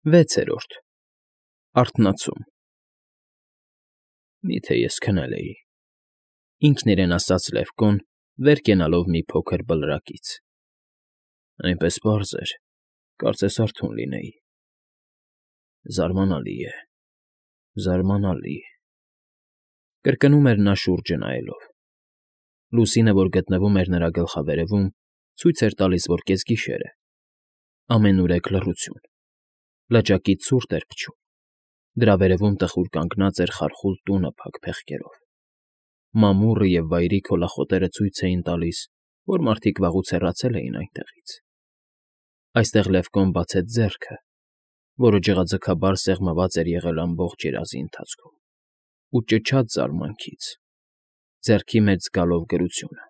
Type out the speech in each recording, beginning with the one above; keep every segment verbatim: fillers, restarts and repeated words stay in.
ՎԵՑԵՐՈՐԴ ԱՐԹՆԱՑՈՒՄ Մի՞թե ես քնել էի,֊ ինքն իրեն ասաց Լևկոն, վեր կենալով մի փոքր բլրակից։֊ Այնպես պարզ էր, կարծես արթուն լինեի… Զարմանալի է, զարմանալի… Կրկնում էր նա շուրջը նայելով. լուսինը, որ գտնվում էր նրա գլխավերևում, ցույց էր տալիս, որ կեսգիշեր է, ամենուրեք լռություն, լճակից ցուրտ էր փչում, դրա վերևում տխուր կանգնած էր խարխուլ տունը փակ փեղկերով, մամուռը և վայրի քոլախոտերը ցույց էին տալիս, որ մարդիկ վաղուց հեռացել էին այնտեղից… Այստեղ Լևկոն բացեց ձեռքը, որը ջղաձգաբար սեղմված էր եղել ամբողջ երազի ընթացքում, ու ճչաց զարմանքից, ձեռքի մեջ զգալով գրությունը…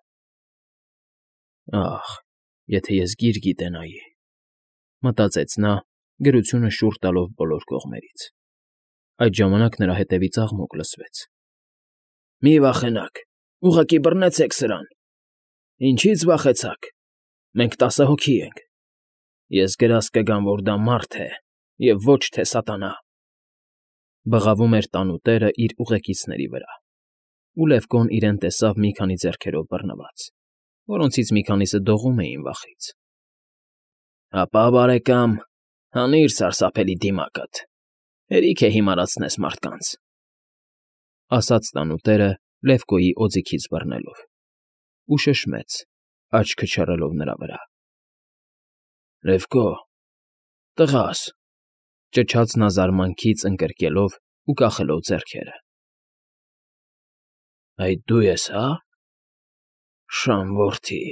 Ախ, եթե ես գիր գիտենայի,֊ մտածեց նա, գրությունը շուռ տալով բոլոր կողմերից… Այդ ժամանակ նրա հետևից աղմուկ լսվեց։ ֊ Մի՛ վախենաք, ուղղակի բռնեցեք սրան… Ինչի՞ց վախեցաք, մենք տասը հոգի ենք… Ես գրազ կգամ, որ դա մարդ է և ոչ թե սատանա… Բղավում էր տանուտերը իր ուղեկիցների վրա, ու Լևկոն իրեն տեսավ մի քանի ձեռքերով բռնված, որոնցից մի քանիսը դողում էին վախից։ ֊ Հապա, բարեկամ, հանիր սարսափելի դիմակդ, հերիք է հիմարացնես մարդկանց,֊ ասաց տանուտերը Լևկոյի օձիքից բռնելով, ու շշմեց, աչքը չռելով նրա վրա։ ֊ Լևկո, տղա՛ս,֊ ճչաց նա զարմանքից ընկրկելով ու կախելով ձեռքերը։ ֊ Այդ դու ես, հա՞… Շան որդի…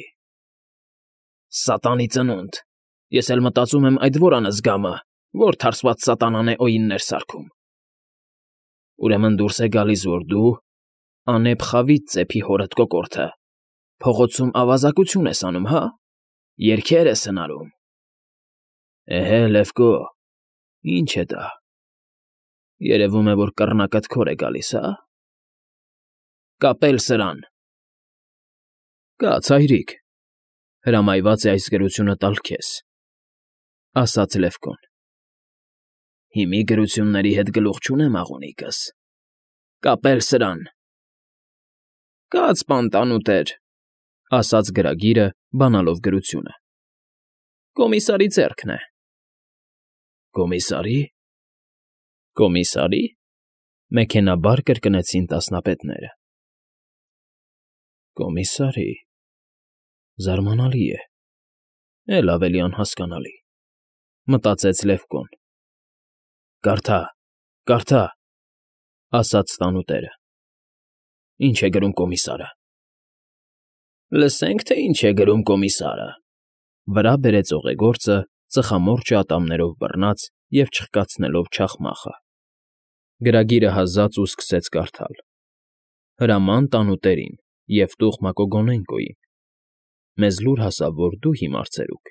Սատանի ծնունդ… Ես էլ մտածում եմ այդ որ անզգամը, որ թարսված սատանան է օիններ սարքում… Ուրեմն դուրս է գալիս, որ դու, անեփ խավից ծեփի հորդ կոկորդը, փողոցում ավազակություն ես անում, հա՞, երգեր ես հնարում… Էհե, Լևկո, ի՞նչ է դա… Երևում է, որ կռնակդ քոր է գալիս, հա՞… Կապել սրան… ֊ Կաց, հայրիկ, հրամայված է այս գրությունը տալ քեզ,֊ ասաց Լևկոն։ ֊ Հիմի գրությունների հետ գլուխ չունեմ, աղունիկս… Կապել սրան… ֊ Կաց, պան տանուտեր,֊ ասաց գրագիրը, բանալով գրությունը։ ֊ Կոմիսարի ձեռքն է։ ֊ Կոմիսարի՞… Կոմիսարի՞…֊ մեքենայաբար կրկնեցին տասնապետները։ ֊ Կոմիսարի… Զարմանալի է, էլ ավելի անհասկանալի…֊ մտածեց Լևկոն։ ֊ Կարդա, կարդա,֊ ասաց տանուտերը։ ֊ Ինչ է գրում կոմիսարը։ ֊ Լսենք, թե ինչ է գրում կոմիսարը,֊ վրա բերեց օղեգործը, ծխամորճը ատամներով բռնած և չխկացնելով չախմախը։ Գրագիրը հազաց ու սկսեց կարդալ. «Հրաման տանուտերին և տուղ Մակոգոնենկոյին. մեզ լուր հասավ, որ դու, հիմար ծերուկ,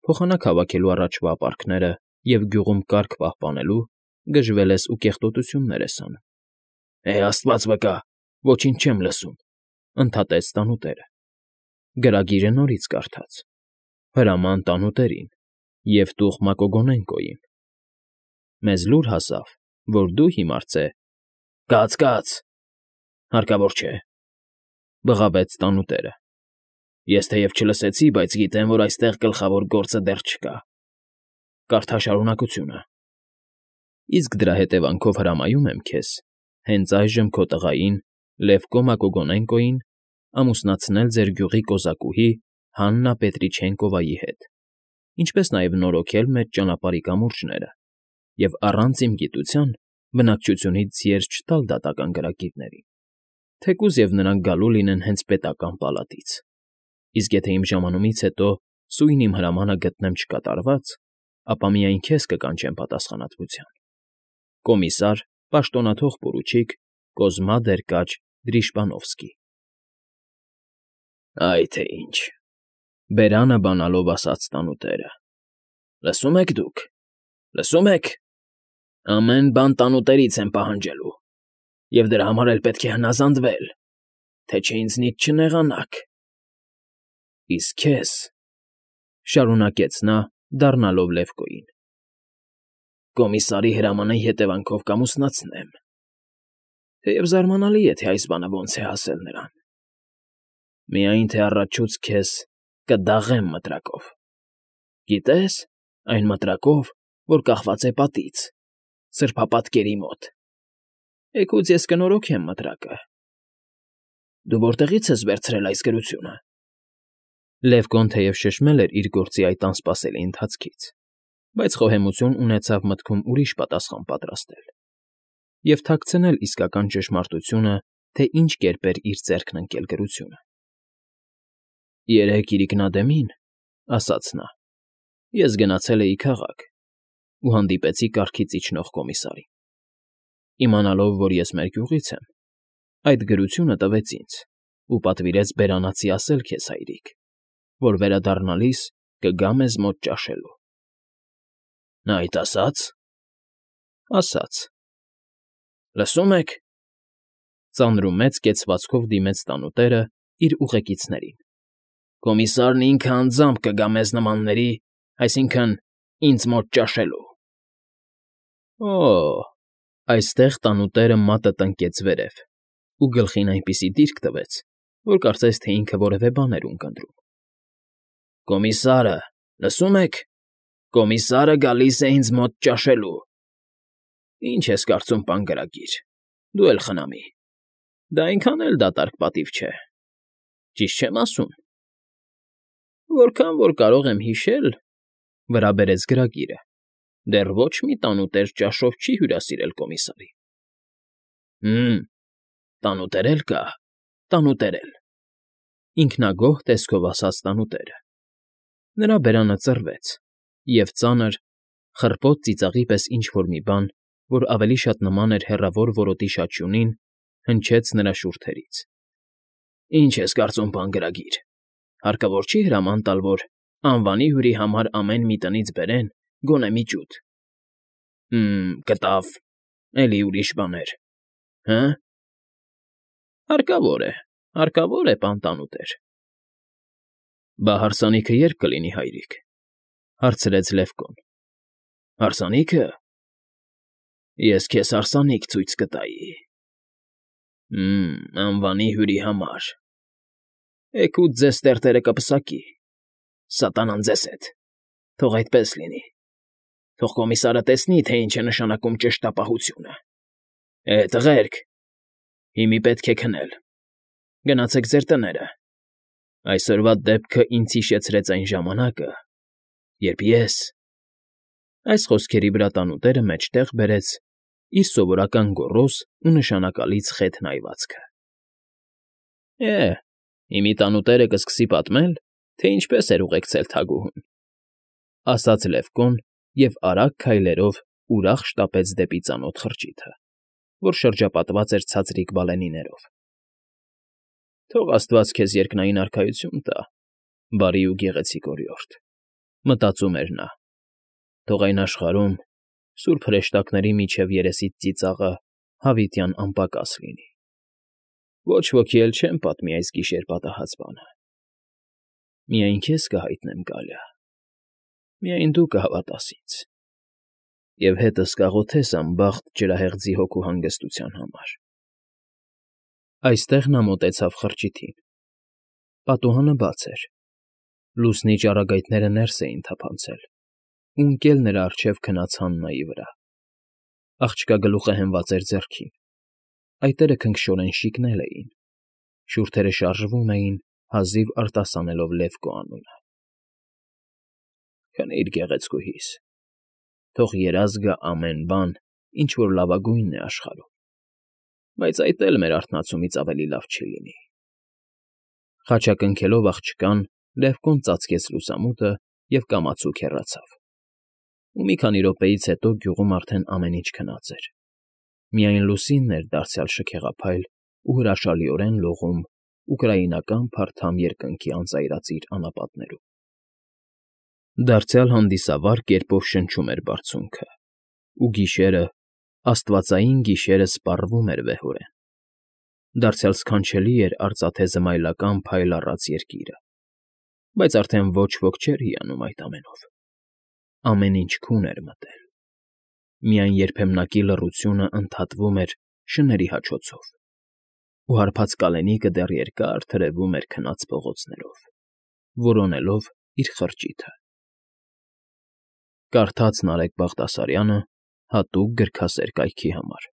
փոխանակ հավաքելու առաջվա ապարքները և գյուղում կարգ պահպանելու գժվել ես ու կեղտոտություններ ես անում։ ֊ Է աստված վկա, ոչինչ չեմ լսում,֊ ընդհատեց տանուտերը։ Գրագիրը նորից կարդաց. «Հրաման տանուտերին և տուղ Մակոգոնենկոյին. մեզ լուր հասավ, որ դու, հիմար ծե…» ֊ Կաց, կաց… Հարկավոր չէ,֊ բղավեց տանուտերը։ Ես թեև չլսեցի, բայց գիտեմ, որ այստեղ գլխավոր գործը դեռ չկա… Կարդա շարունակությունը։ ֊ Իսկ դրա հետևանքով հրամայում եմ քեզ հենց այժմ քո տղային՝ Լևկո Մակոգոնենկոյին ամուսնացնել ձեր գյուղի կոզակուհի Հաննա Պետրիչենկովայի հետ, ինչպես նաև նորոգել մեծ ճանապարհի կամուրջները և առանց իմ գիտության բնակչությունից զերծ չտալ դատական գրագիրներին, թեկուզ և նրանք գալու լինեն հենց պետական պալատից, իսկ եթե իմ ժամանումից հետո սույն իմ հրամանը գտնեմ չկատարված, ապա միայն քեզ կկանչեմ պատասխանատվության։ Կոմիսար, պաշտոնաթող պորուչիկ Կոզմա Դերկաչ Դրիժբանովսկի։ ֊ Այ թե ինչ,֊ բերանը բանալով ասաց տանուտերը։֊ Լսում եք դուք, լսում եք… Ամեն բան տանուտերից եմ պահանջելու, և դրա համար էլ պետք է հնազանդվել, թե չէ ինձնից չնեղանաք… Իսկ քեզ,֊ շարունակեց նա, դառնալով Լևկոյին,֊ Կոմիսարի հրամանի հետևանքով կամուսնացնեմ։ Թեև զարմանալի է, թե այս բանը ոնց է հասել նրան։ Միայն թե առաջուց քեզ կդաղեմ մտրակով։ Գիտե՞ս, այն մտրակով, որ կախված է պատից, սրբապատկերի մոտ։ Էգուց ես կնորոգեմ մտրակը։ Դու որտեղի՞ց ես վերցրել այս գրությունը։ Լևկոն թեև շշմել էր իր գործի այդ անսպասելի ընթացքից, բայց խոհեմություն ունեցավ մտքում ուրիշ պատասխան պատրաստել և թաքցնել իսկական ճշմարտությունը, թե ինչ կերպ էր իր ձեռքն ընկել գրությունը։ «Երեկ իրիկնադեմին, ֊ ասաց նա, ֊ ես գնացել էի քաղաք ու հանդիպեցի կառքից իջնող կոմիսարին։ Իմանալով, որ ես մեր գյուղից եմ, այդ գրությունը տվեց ինձ ու պատվիրեց բերանացի ասել քեզ, հայրիկ, որ վերադառնալիս կգա մեզ մոտ ճաշելու»։ Նա այդ ասա՞ց։ Ասաց։ Լսում եք, ֊ ծանրումեծ կեցվածքով դիմեց տանուտերը իր ուղեկիցներին, ֊ կոմիսարն ինքը անձամբ կգա մեզ նմանների, այսինքն՝ ինձ մոտ ճաշելու։ Օ՜։ Այստեղ տանուտերը մատը տնկեց վերև ու գլխին այնպիսի դիրք տվեց, որ կարծես թե ինքը որևէ բան էր ունկնդրում։ Կոմիսարը, լսում եք, կոմիսարը գալիս է ինձ մոտ ճաշելու։ Ինչ ես կարծում, պան գրագիր, դու էլ խնամի։ Դա այնքան էլ դատարկ պատիվ չէ, ճիշտ չեմ ասում։ Որքան որ կարող եմ հիշել, ֊ վրա բերեց գրագիրը, ֊ դեռ ոչ մի տանուտեր ճաշով չի հյուրասիրել կոմիսարին։ Հը՛մ, տանուտեր էլ կա, տանուտեր էլ, ֊ ինքնագոհ տեսքով ասաց տանուտերը։ Նրա բերանը ծռվեց, և ծանր, խռպոտ ծիծաղի պես ինչ֊որ մի բան, որ ավելի շատ նման էր հեռավոր որոտի շաչյունին, հնչեց նրա շուրթերից։ Ինչ ես կարծում, պան գրագիր, հարկավոր չի հրաման տալ, որ անվանի հյուրի համար ամեն մի տնից բերեն գոնե մի ջուտ։ Հը՛մ, կտավ, էլի ուրիշ բաներ, հը՞։ Հարկավոր է, հարկավոր է, պան տանուտեր։ Բա հարսանիքը ե՞րբ կլինի, հայրիկ, ֊ հարցրեց Լևկոն։ Հարսանի՞քը։ Ես քեզ հարսանիք ցույց կտայի։ Հը՛մ, անվանի հյուրի համար։ Էգուց ձեզ տերտերը կպսակի, սատանան ձեզ հետ, թող այդպես լինի, թող կոմիսարը տեսնի, թե ինչ է նշանակում ճշտապահությունը։ Է, տղերք, հիմի պետք է քնել, գնացեք ձեր տները։ Այսօրվա դեպքը ինձ հիշեցրեց այն ժամանակը, երբ ես… Այս խոսքերի վրա տանուտերը մեջտեղ բերեց իր սովորական գոռոզ ու նշանակալից խեթ նայվածքը։ Է, հիմի տանուտերը կսկսի պատմել, թե ինչպես էր ուղեկցել թագուհուն, ֊ ասաց Լևկոն և արագ քայլերով ուրախ շտապեց դեպի ծանոթ խրճիթը, որ շրջապատված էր ցածրիկ բալենիներով։ Թող աստված քեզ երկնային արքայություն տա, բարի ու գեղեցիկ օրիորդ, ֊ մտածում էր նա, թող այն աշխարհում սուրբ հրեշտակների միջև երեսիդ ծիծաղը հավիտյան անպակաս լինի։ Ոչ ոքի էլ չեմ պատմի այս գիշեր պատահած բանը։ Միայն քեզ կհայտնեմ, Գալիա, միայն դու կհավատաս ինձ և հետս կաղոթես անբախտ ջրահեղձի հոգու հանգստության համար։ Այստեղ նա մոտեցավ խրճիթին։ Պատուհանը բաց էր, լուսնի ճառագայթները ներս էին թափանցել ու ընկել նրա առջև քնած Հաննայի վրա։ Աղջկա գլուխը հենված էր ձեռքին, այտերը քնքշորեն շիկնել էին, շուրթերը շարժվում էին, հազիվ արտասանելով Լևկո անունը։ Քնի՛ր, գեղեցկուհիս, թող երազ գա ամեն բան, ինչ որ լավագույնն է աշխարհում, բայց այդ էլ մեր արթնացումից ավելի լավ չի լինի։ Խաչակնքելով աղջկան՝ Լևկոն ծածկեց լուսամուտը և կամացուկ հեռացավ։ Ու մի քանի րոպեից հետո գյուղում արդեն ամեն ինչ քնած էր, միայն լուսինն էր դարձյալ շքեղափայլ ու հրաշալիորեն լողում ուկրաինական փարթամ երկնքի անծայրածիր անապատներում։ Դարձյալ հանդիսավար կերպով շնչում էր բարձունքը, ու գիշերը, աստվածային գիշերը սպառվում էր վեհորեն։ Դարձյալ սքանչելի էր արծաթե զմայլական փայլ առած երկիրը, բայց արդեն ոչ ոք չէր հիանում այդ ամենով։ Ամեն ինչ քուն էր մտել։ Միայն երբեմնակի լռությունն ընդհատվում էր շների հաչոցով, ու հարբած կալենիկը դեռ երկար թրևվում էր քնած փողոցներով, որոնելով իր խրճիթը։ Կարդաց Նարեկ Բաղդասարյանը հատուկ գրքասեր կայքի համար։